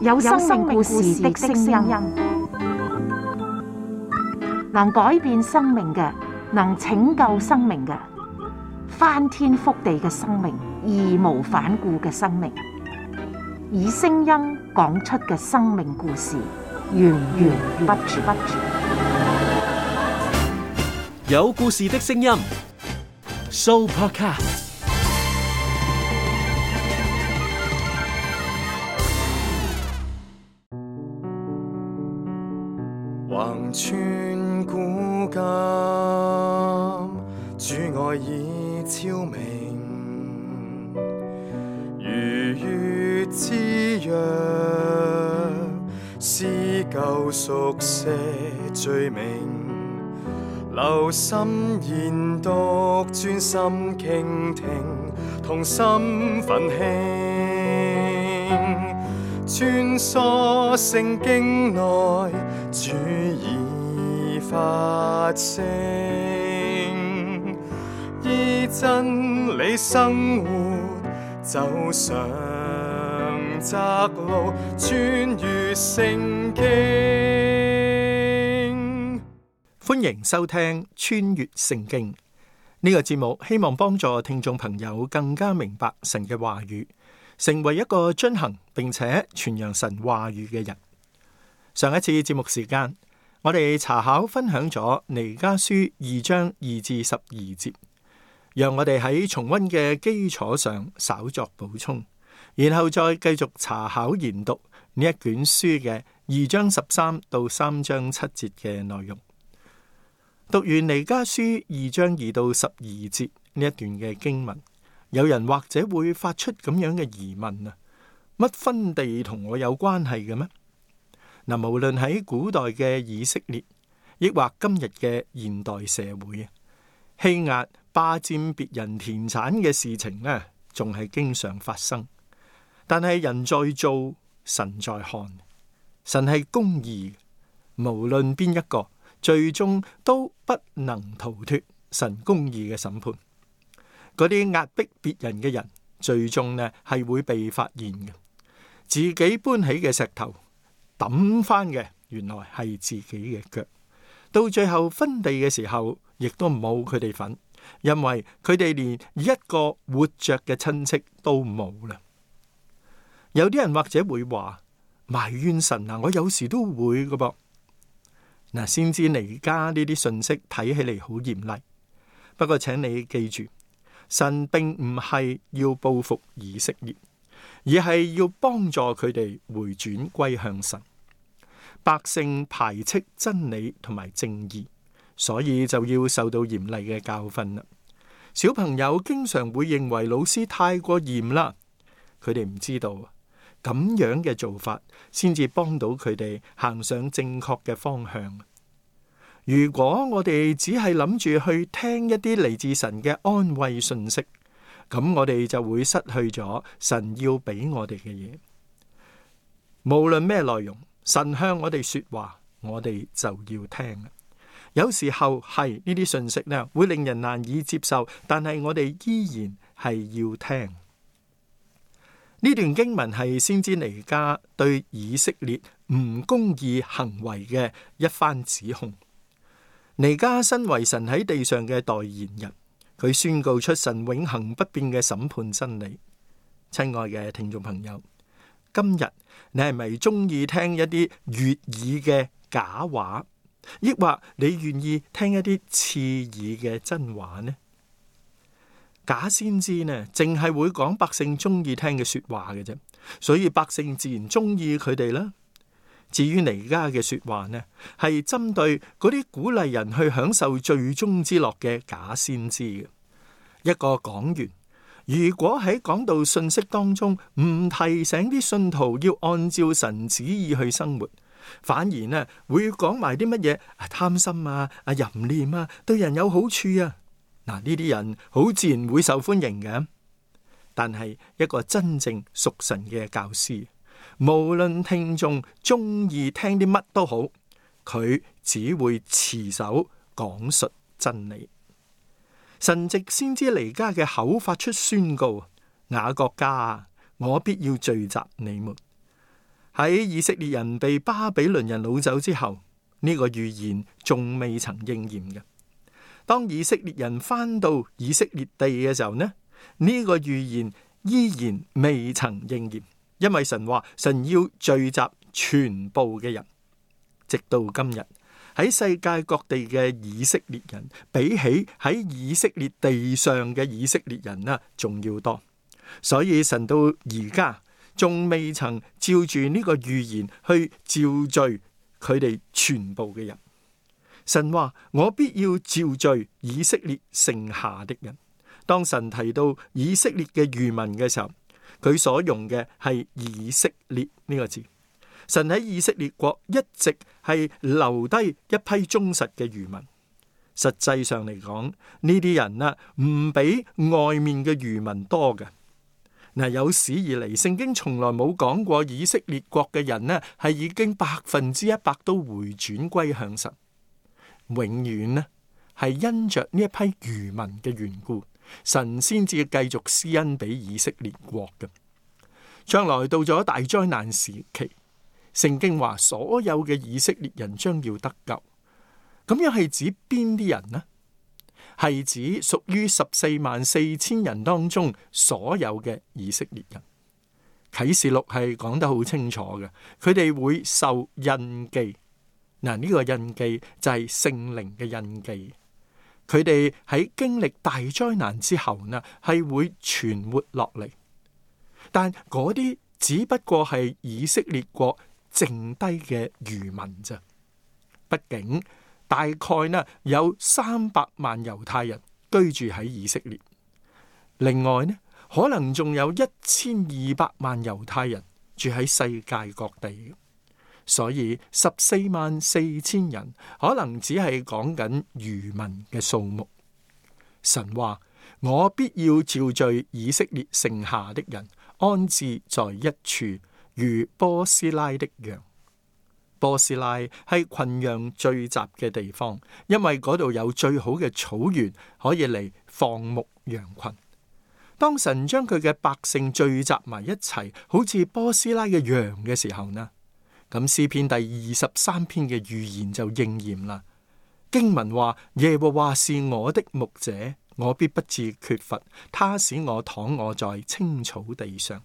有生命故事的聲音，能改變生命嘅，能拯救生命嘅，翻天覆地嘅生命，義無反顧嘅生命，以聲音講出嘅生命故事，源源不絕。有故事的聲音 ，Sooopodcast。橫穿古今，主愛已超明，如月之約，撕舊熟寫罪名，留心研讀，專心傾聽，同心奮興，穿梭聖經內，主已發聲，依真理生活，走上窄路，穿越聖經。歡迎收聽穿越聖經呢個節目，希望幫助聽眾朋友更加明白神嘅話語，成為一個遵行並且傳揚神話語嘅人。上一次節目時間，我哋查考分享咗彌迦書2章2至12節，讓我哋喺重溫嘅基礎上稍作補充，然後再繼續查考研讀呢一卷書嘅2章13到3章7節嘅內容。讀完彌迦書2章2到12節呢一段嘅經文，有人或者會發出咁樣嘅疑問啊，乜分地同我有關係嘅咩？嗱，無論喺古代嘅以色列，抑或今日嘅現代社會啊，欺壓霸佔別人田產嘅事情呢，仲係經常發生。但係人在做，神在看，神係公義，無論邊一個，最終都不能逃脫神公義嘅審判。嗰啲壓迫別人嘅人，最終呢係會被發現嘅。自己搬起嘅石頭抌翻嘅，原來係自己嘅腳。到最後分地嘅時候，亦都冇佢哋份，因為佢哋連一個活着嘅親戚都冇啦。有啲人或者會話埋怨神啊，我有時都會㗎噃。嗱，先知彌迦呢啲信息睇起嚟好嚴厲，不過請你記住，神並唔係要報復以色列，而係要幫助佢哋回轉歸向神。百姓排斥真理同埋正義，所以就要受到嚴厲嘅教訓啦。小朋友經常會認為老師太過嚴啦，佢哋唔知道咁樣嘅做法先至幫到佢哋行上正確嘅方向。如果我哋只係諗住去聽一啲嚟自神嘅安慰信息，咁我哋就會失去咗神要俾我哋嘅嘢。無論咩內容，神向我哋說話，我哋就要聽。有時候係呢啲信息呢，會令人難以接受，但係我哋依然係要聽。呢段經文係先知彌迦對以色列唔公義行為嘅一番指控。彌迦身為神喺地上嘅代言人，佢宣告出神永恆不變嘅審判真理。親愛嘅聽眾朋友，今日你係咪中意聽一啲悅耳嘅假話，抑或你願意聽一啲刺耳嘅真話呢？假先知呢，淨係會講百姓中意聽嘅說話嘅啫，所以百姓自然中意佢哋啦。至於彌迦嘅說話呢，係針對嗰啲鼓勵人去享受罪中之樂嘅假先知嘅。一個講員，如果喺講道信息當中唔提醒啲信徒要按照神旨意去生活，反而呢會講埋啲乜嘢貪心啊、淫念啊，對人有好處啊。嗱，呢啲人好自然會受歡迎嘅。但係一個真正屬神嘅教師，無論聽眾中意聽啲乜都好，佢只會持守講述真理。神藉先知彌迦嘅口發出宣告：雅各家，我必要聚集你們。喺以色列人被巴比倫人擄走之後，呢個預言仲未曾應驗嘅。當以色列人翻到以色列地嘅時候呢，呢個預言依然未曾應驗，因為神話神要聚集全部嘅人。直到今日，喺世界各地嘅以色列人，比起喺以色列地上嘅以色列人仲要多。所以神到而家仲未曾照住呢個預言去召聚佢哋全部嘅人。神話我必要召聚以色列剩下的人。當神提到以色列嘅餘民嘅時候，佢所用嘅係以色列呢個字。神喺以色列國一直係留低一批忠實嘅餘民。實際上嚟講，呢啲人唔比外面嘅餘民多嘅。有史以嚟，聖經從來冇講過以色列國嘅人係已經100%都回轉歸向神。永遠係因着呢一批餘民嘅緣故，神先至繼續施恩俾以色列國嘅。將來到咗大災難時期，聖經話所有嘅以色列人將要得救。咁樣係指邊啲人呢？係指屬於144000人當中所有嘅以色列人。啟示錄係講得好清楚嘅，佢哋會受印記。呢個印記就係聖靈嘅印記。佢哋喺經歷大災難之後係會存活落嚟。但嗰啲只不過係以色列國剩低嘅餘民啫。畢竟大概有300萬猶太人居住喺以色列，另外可能仲有1200萬猶太人住喺世界各地。所以144000人可能只係講緊餘民嘅數目。神話我必要召聚以色列剩下的人，安置在一處，如波斯拉的羊。波斯拉係群羊聚集嘅地方，因為嗰度有最好嘅草原可以嚟放牧羊群。當神將佢嘅百姓聚集埋一齊，好似波斯拉嘅羊嘅時候咁詩篇第23篇嘅預言就應驗啦。經文話：耶和華是我的牧者，我必不致缺乏，他使我躺臥在青草地上。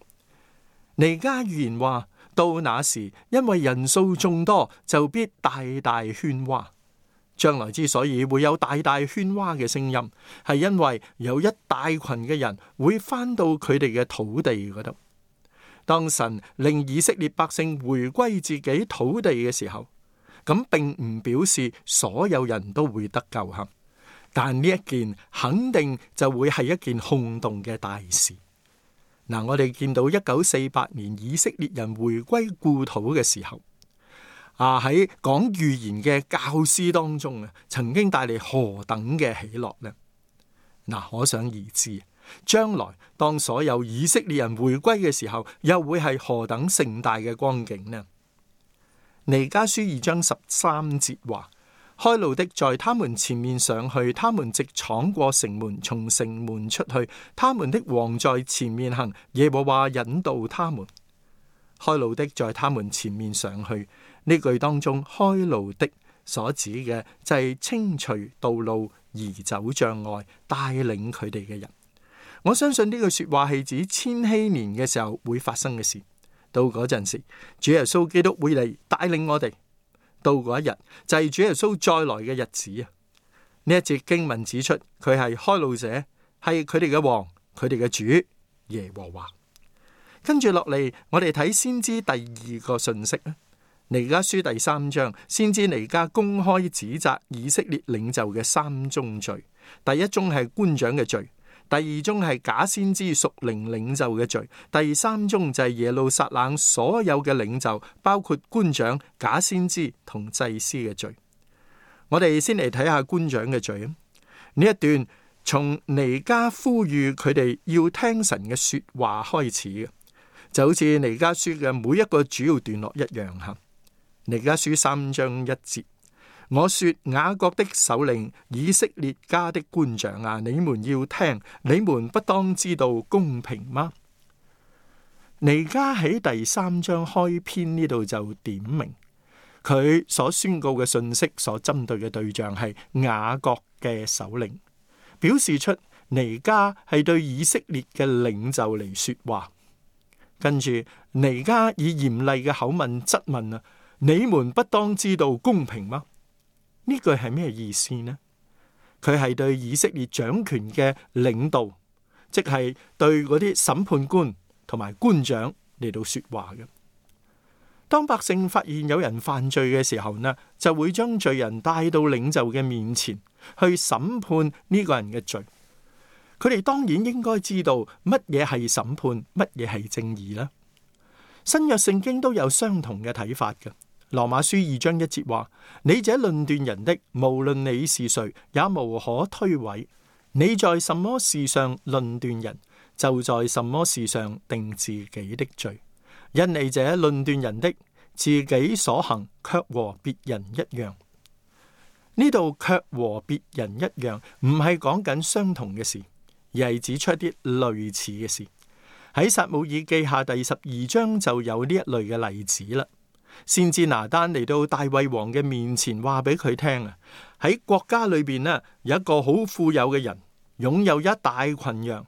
彌迦預言話：到那時，因為人數眾多，就必大大喧嘩。將來之所以會有大大喧嘩嘅聲音，係因為有一大群嘅人會返到佢哋嘅土地嗰度。當神令以色列百姓回歸自己土地嘅時候，咁並唔表示所有人都會得救吓，但呢一件肯定就會係一件轟動嘅大事。我哋見到1948年以色列人回歸故土嘅時候，喺講預言嘅教師當中曾經帶嚟何等嘅喜樂呢？可想而知。將來當所有以色列人回歸嘅時候，又會係何等盛大嘅光景呢？彌迦書2章13節話：開路的在他們前面上去，他們直闖過城門，從城門出去，他們的王在前面行，耶和華引導他們。開路的在他們前面上去，呢句當中開路的所指嘅就係清除道路、移走障礙、帶領佢哋嘅人。我相信呢句說話係指千禧年嘅時候會發生嘅事。到嗰陣時，主耶穌基督會嚟帶領我哋。到嗰一日就係主耶穌再來嘅日子啊！呢一節經文指出，佢係開路者，係佢哋嘅王，佢哋嘅主耶和華。跟住落嚟，我哋睇先知第2個信息啊。彌迦書第3章，先知彌迦公開指責以色列領袖嘅3宗罪。第一宗係官長嘅罪。第二宗係假先知屬靈領袖嘅罪，第三宗就係耶路撒冷所有嘅領袖，包括官長、假先知同祭司嘅罪。我哋先嚟睇下官長嘅罪。呢一段從彌迦呼籲佢哋要聽神嘅說話開始嘅，就好似彌迦書嘅每一個主要段落一樣吓。彌迦書3章1節。我說雅各的首領，以色列家的官長啊，你們要聽，你們不當知道公平嗎？彌迦喺第3章開篇呢度就點明，佢所宣告嘅信息所針對嘅對象係雅各嘅首領，表示出彌迦係對以色列嘅領袖嚟說話。跟住彌迦以嚴厲嘅口吻質問啊，你們不當知道公平嗎？呢句係咩意思呢？佢係對以色列掌權嘅領導，即係對嗰啲審判官同埋官長嚟到說話嘅。當百姓發現有人犯罪嘅時候呢，就會將罪人帶到領袖嘅面前去審判呢個人嘅罪。佢哋當然應該知道乜嘢係審判，乜嘢係正義啦。新約聖經都有相同嘅睇法嘅。羅馬書2章1節話：你這論斷人的，無論你是誰，也無可推諉。你在什麼事上論斷人，就在什麼事上定自己的罪。因你這論斷人的，自己所行卻和別人一樣。呢度卻和別人一樣，唔係講緊相同嘅事，而係指出一啲類似嘅事。喺撒母耳記下第12章就有呢一類嘅例子啦。先知拿單嚟到大衛王嘅面前，話俾佢聽啊，喺國家裏邊呢，有一個好富有嘅人，擁有一大群羊，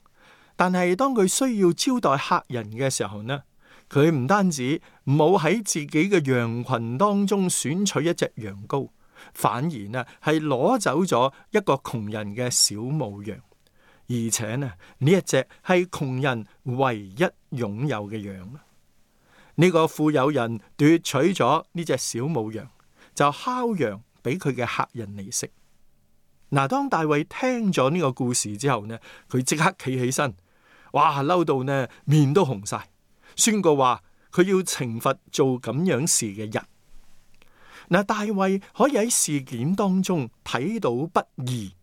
但係當佢需要招待客人嘅時候呢，佢唔單止冇喺自己嘅羊群當中選取一隻羊羔，反而呢係攞走咗一個窮人嘅小母羊，而且呢一隻係窮人唯一擁有嘅羊。呢個富有人奪取咗呢隻小母羊，就烤羊俾佢嘅客人嚟食。嗱，當大衛聽咗呢個故事之後呢，佢即刻企起身，哇，嬲到呢面都紅晒，宣告話佢要懲罰做咁樣事嘅人。嗱，大衛可以喺事件當中睇到不義，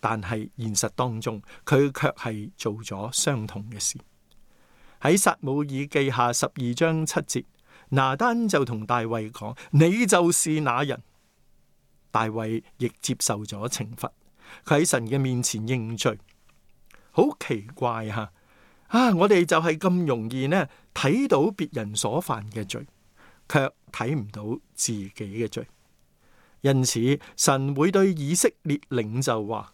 但係現實當中佢卻係做咗相同嘅事。喺撒母耳記下12章7節，拿單就同大衛講：你就是那人。大衛亦接受咗懲罰，佢喺神嘅面前認罪。好奇怪吓，我哋就係咁容易呢睇到別人所犯嘅罪，卻睇唔到自己嘅罪。因此，神會對以色列領袖話：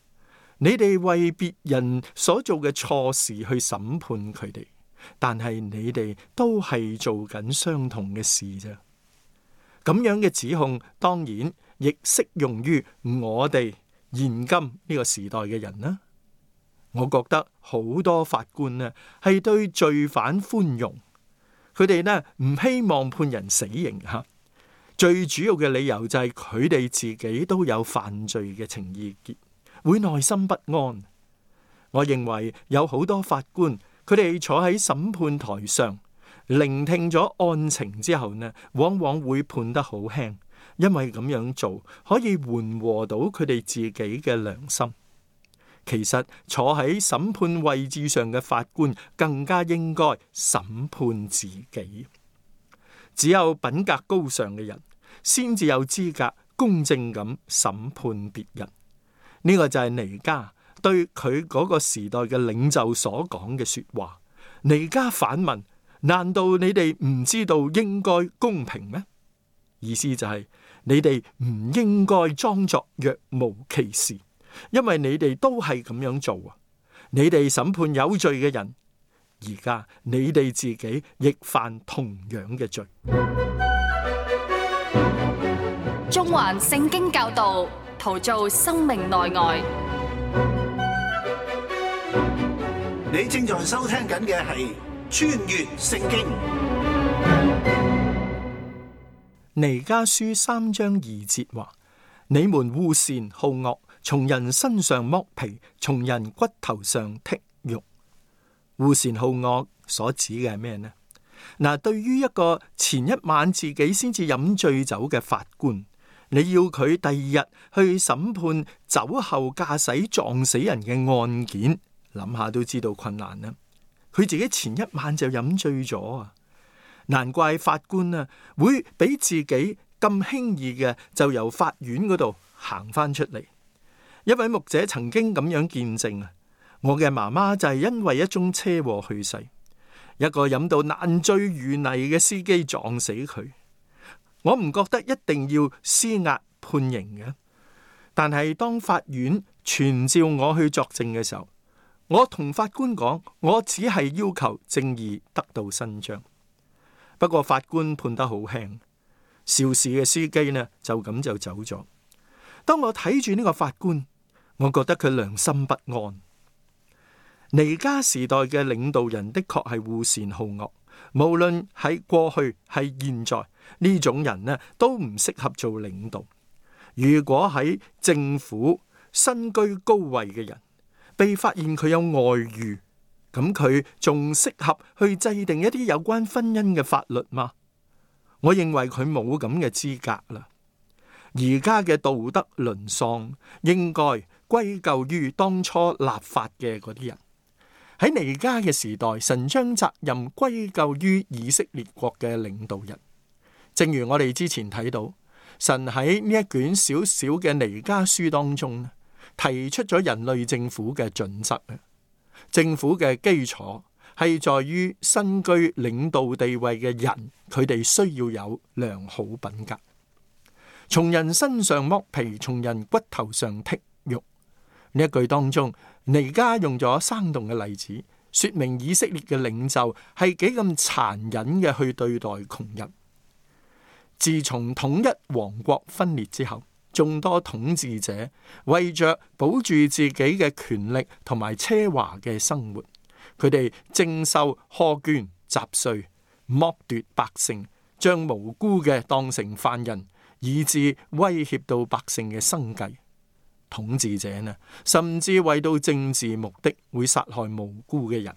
你哋為別人所做嘅錯事去審判佢哋。但係你哋都係做緊相同嘅事啫。咁樣嘅指控當然亦適用於我哋現今呢個時代嘅人啦。我覺得好多法官呢係對罪犯寬容，佢哋呢唔希望判人死刑吓。最主要嘅理由就係佢哋自己都有犯罪嘅情意結，會內心不安。我認為有好多法官，佢哋坐喺審判台上，聆聽咗案情之後呢，往往會判得好輕，因為咁樣做可以緩和到佢哋自己嘅良心。其實坐喺審判位置上嘅法官更加應該審判自己。只有品格高尚嘅人，先至有資格公正咁審判別人。呢個就係彌迦對佢嗰個時代嘅領袖所講嘅說話。彌迦反問：難道你哋唔知道應該公平咩？意思就係你哋唔應該裝作若無其事，因為你哋都係咁樣做啊！你哋審判有罪嘅人，而家你哋自己亦犯同樣嘅罪。中環聖經教導，陶造生命內外。你正在收聽緊嘅係穿越聖經。彌迦書3章2節話：你們惡善好惡，從人身上剝皮，從人骨頭上剔肉。惡善好惡所指嘅係咩呢？嗱，對於一個前一晚自己先至飲醉酒嘅法官，你要佢第二日去審判酒後駕駛撞死人嘅案件，諗下都知道困難啦。佢自己前一晚就飲醉咗啊，難怪法官啊會俾自己咁輕易嘅就由法院嗰度行翻出嚟。一位牧者曾經咁樣見證啊，我嘅媽媽就係因為一宗車禍去世。一個飲到爛醉如泥嘅司機撞死佢。我唔覺得一定要施壓判刑嘅，但係當法院傳召我去作證嘅時候，我同法官講，我只係要求正義得到伸張。不過法官判得好輕，肇事嘅司機呢就咁就走咗。當我睇住呢個法官，我覺得佢良心不安。彌迦時代嘅領導人的確係惡善好惡，無論喺過去係現在，呢種人呢都唔適合做領導。如果喺政府身居高位嘅人被發現佢有外遇，咁佢仲適合去制定一啲有關婚姻嘅法律嗎？我認為佢冇咁嘅資格啦。而家嘅道德淪喪應該歸咎於當初立法嘅嗰啲人。喺彌迦嘅時代，神將責任歸咎於以色列國嘅領導人。正如我哋之前睇到，神喺呢一卷小小嘅彌迦書當中提出咗人類政府嘅準則。政府嘅基礎係在於身居領導地位嘅人，佢哋需要有良好品格。從人身上剝皮，從人骨頭上剔肉。呢一句當中，彌迦用咗生動嘅例子，說明以色列嘅領袖係幾咁殘忍嘅去對待窮人。自從統一王國分裂之後，眾多統治者為着保住自己嘅權力同埋奢華嘅生活，佢哋徵收苛捐雜稅，剝奪百姓，將無辜嘅當成犯人，以致威脅到百姓嘅生計。統治者呢，甚至為到政治目的會殺害無辜嘅人。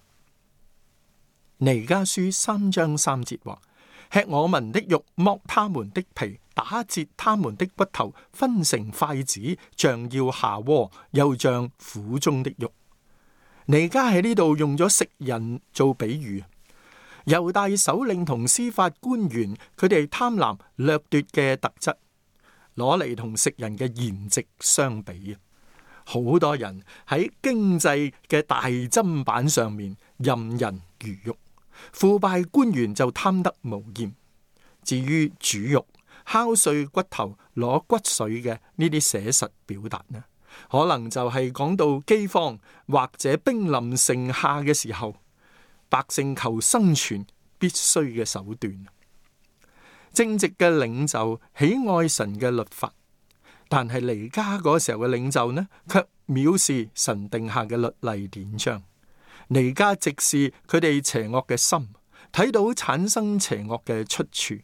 彌迦書3章3節話：吃我民的肉，剝他們的皮，打折他們的骨頭，分成塊子，像要下鍋，又像苦中的肉。彌迦喺呢度用咗食人做比喻。猶大首領同司法官員，佢哋貪婪掠奪嘅特質，攞嚟同食人嘅筵席相比。好多人喺經濟嘅大砧板上面任人魚肉，腐敗官員就貪得無厭。至於煮肉、敲碎骨頭、攞骨髓嘅呢啲寫實表達呢，可能就係講到饑荒或者兵臨城下嘅時候，百姓求生存必須嘅手段。正直嘅領袖喜愛神嘅律法，但係彌迦嗰時候嘅領袖呢，卻藐視神定下嘅律例典章。彌迦直視佢哋邪惡嘅心，睇到產生邪惡嘅出處。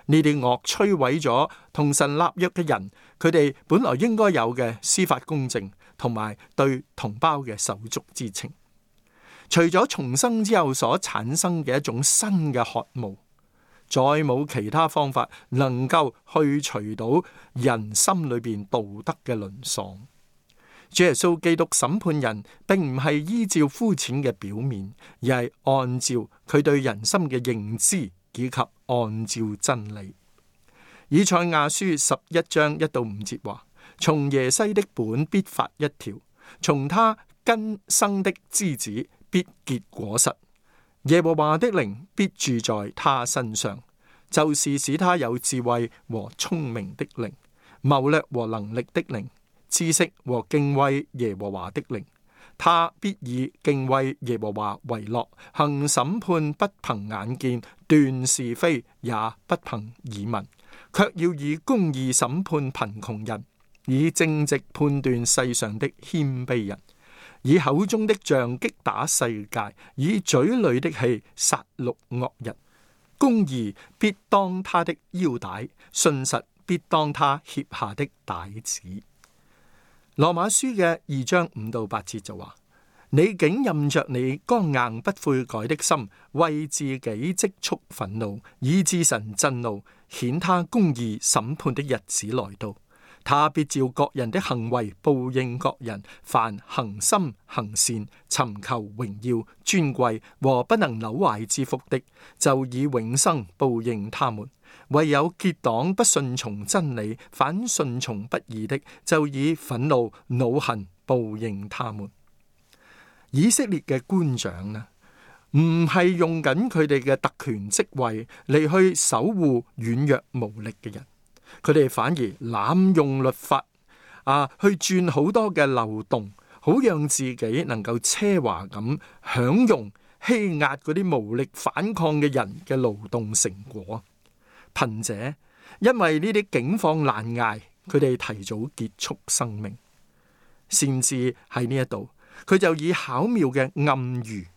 呢啲惡摧毀咗同神立約嘅人，佢哋本來應該有嘅司法公正，同埋對同胞嘅手足之情。除咗重生之後所產生嘅一種新嘅渴慕，再冇其他方法能夠去除到人心裏邊道德嘅淪喪。主耶穌基督審判人，並唔係依照膚淺嘅表面，而係按照佢對人心嘅認知，以及按照真理。以賽亞書11章1到5節話：從耶西的本必發一條，從他根生的枝子必結果實。耶和華的靈必住在他身上，就是使他有智慧和聰明的靈，謀略和能力的靈，知識和敬畏耶和華的靈。他必以敬畏耶和華為樂，行審判不憑眼見，斷是非也不憑耳聞，卻要以公義審判貧窮人，以正直判斷世上的謙卑人，以口中的杖擊打世界，以嘴裏的氣殺戮惡人。公義必當他的腰帶，信實必當他脅下的帶子。羅馬書嘅2章5到8節就話：你竟任着你剛硬不悔改的心，為自己積蓄憤怒，以致神震怒，顯他公義審判的日子來到。他必照各人的行為報應各人，凡恒心行善、尋求榮耀、尊貴和不能朽壞之福的，就以永生報應他們。唯有結黨不順從真理，反順從不義的，就以憤怒、惱恨報應他們。以色列嘅官長呢，唔係用緊佢哋嘅特權職位嚟去守護軟弱無力嘅人，佢哋反而濫用律法去鑽好多嘅漏洞，好讓自己能夠奢華咁享用欺壓嗰啲無力反抗嘅人嘅勞動成果。貧者因為呢啲境況難捱，佢哋提早結束生命。先知喺呢一度，佢就以巧妙嘅暗喻，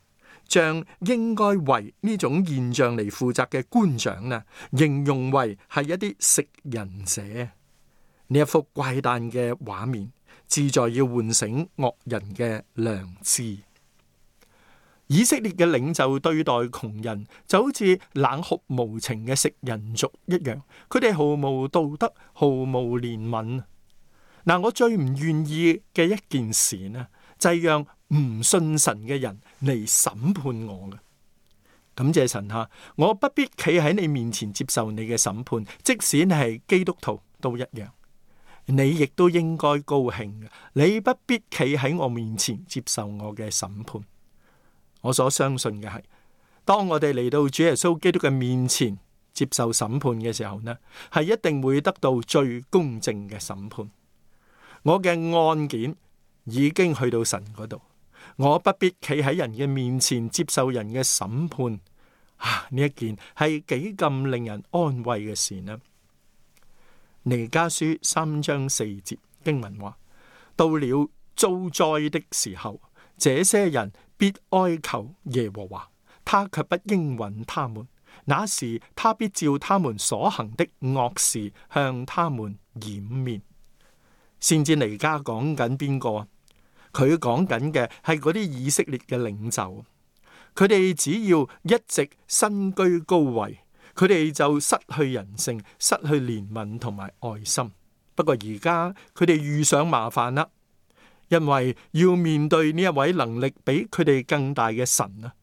將應該為呢種現象嚟負責嘅官長形容為係一啲食人者。呢一幅怪誕嘅畫面，旨在要喚醒惡人嘅良知。以色列嘅領袖對待窮人就好似冷酷無情嘅食人族一樣，佢哋毫無道德，毫無憐憫。我最唔願意嘅一件事呢，就係讓唔信神嘅人嚟審判我嘅。感謝神吓，我不必企喺你面前接受你嘅審判，即使你係基督徒都一樣。你亦都應該高興嘅，你不必企喺我面前接受我嘅審判。我所相信嘅係，當我哋嚟到主耶穌基督嘅面前接受審判嘅時候呢，係一定會得到最公正嘅審判。我嘅案件已經去到神嗰度，我不必企喺人嘅面前接受人嘅審判。呢一件係幾咁令人安慰嘅事呢？彌迦書3章4節經文話：到了遭災的時候，這些人必哀求耶和華，他卻不應允他們。那時他必照他們所行的惡事向他們掩面。先知彌迦講緊邊個啊？佢講緊嘅係嗰啲以色列嘅領袖，佢哋只要一直身居高位，佢哋就失去人性，失去憐憫同埋愛心。不過而家佢哋遇上麻煩啦，因為要面對呢一位能力比佢哋更大嘅神啊，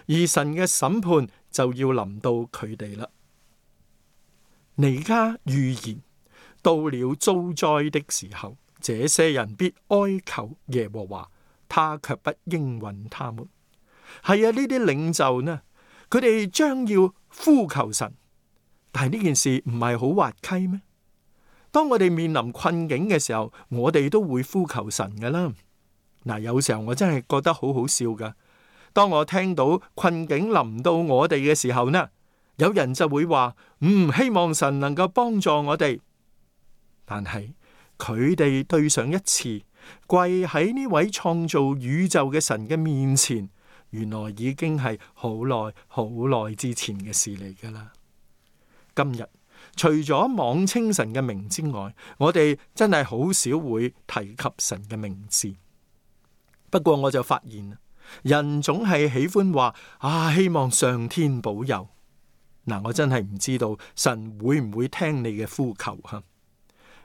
而神嘅審判就要臨到佢哋啦。彌迦預言，到了遭災的時候，這些人必哀求耶和華，他卻不應允他們。係啊，呢啲領袖呢，佢哋將要呼求神，但係呢件事唔係好滑稽咩？當我哋面臨困境嘅時候，我哋都會呼求神噶啦。有時候我真係覺得好好笑噶。當我聽到困境臨到我哋嘅時候呢，有人就會話希望神能夠幫助我哋。但係佢哋對上一次跪喺呢位創造宇宙嘅神嘅面前，原來已經係好耐好耐之前嘅事嚟噶啦。今日除咗妄稱神嘅名之外，我哋真係好少會提及神嘅名字。不過我就發現，人總係喜歡話希望上天保佑。我真係唔知道神會唔會聽你嘅呼求吓，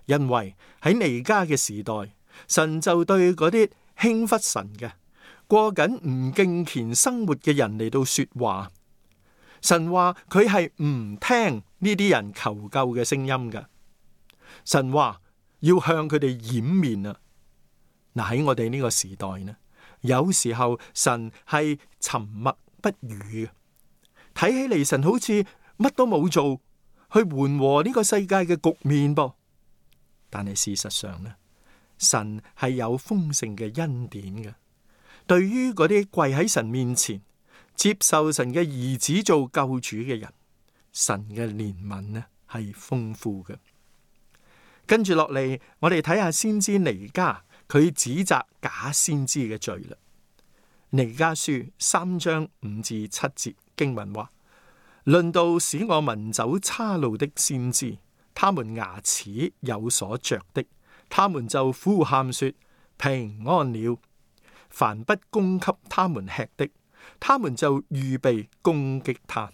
因為喺彌迦嘅時代，神就對嗰啲輕忽神嘅、過緊唔敬虔生活嘅人嚟到說話。神話佢係唔聽呢啲人求救嘅聲音嘅。神話要向佢哋掩面啊！喺我哋呢個時代呢，有時候神係沉默不語嘅，睇起嚟神好似乜都冇做去緩和呢個世界嘅局面噃。但係事實上呢，神係有豐盛嘅恩典嘅。對於嗰啲跪喺神面前接受神嘅兒子做救主嘅人，神嘅憐憫呢係豐富嘅。跟住落嚟，我哋睇下先知彌迦，佢指責假先知嘅罪啦。彌迦書3章5至7節經文話：論到使我民走岔路的先知，他們牙齒有所着的，他們就呼喊說平安了。凡不供給他們吃的，他們就預備攻擊他。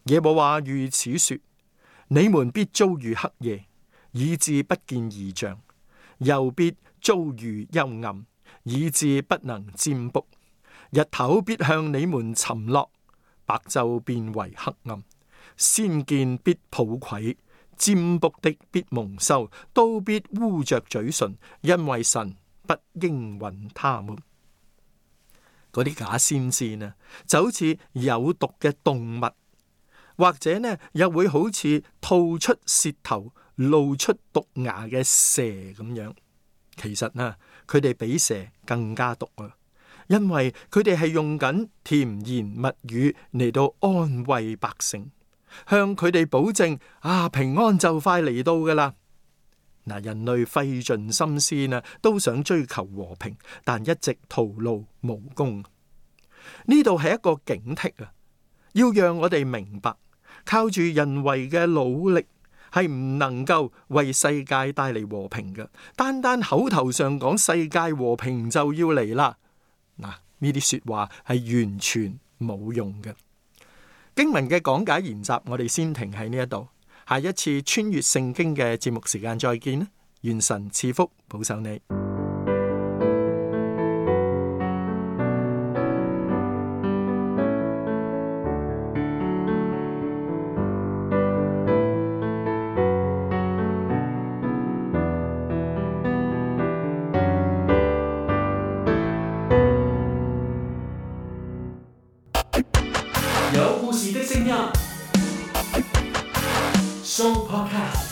耶和華如此說：你們必遭遇黑夜，以致不見異象；又必遭遇幽暗，以致不能占卜。日頭必向你們沉落，白晝變為黑暗。先見必抱愧，占卜的必蒙羞，都必污着嘴唇，因為神不應允他們。嗰啲假先知呢，就好似有毒嘅動物，或者呢又會好似吐出舌頭、露出毒牙嘅蛇咁樣。其實呢，佢哋比蛇更加毒啊！因為佢哋係用緊甜言蜜語嚟到安慰百姓，向佢哋保證平安就快嚟到噶啦。人類費盡心思呢，都想追求和平，但一直徒勞無功。呢度係一個警惕啊，要讓我哋明白，靠住人為嘅努力係唔能夠為世界帶嚟和平嘅。單單口頭上講世界和平就要嚟啦，呢啲說話係完全冇用嘅。經文嘅講解研習，我哋先停喺呢一度。下一次穿越聖經嘅節目時間再見啦！願神賜福保守你。有故事的聲音，Show Podcast。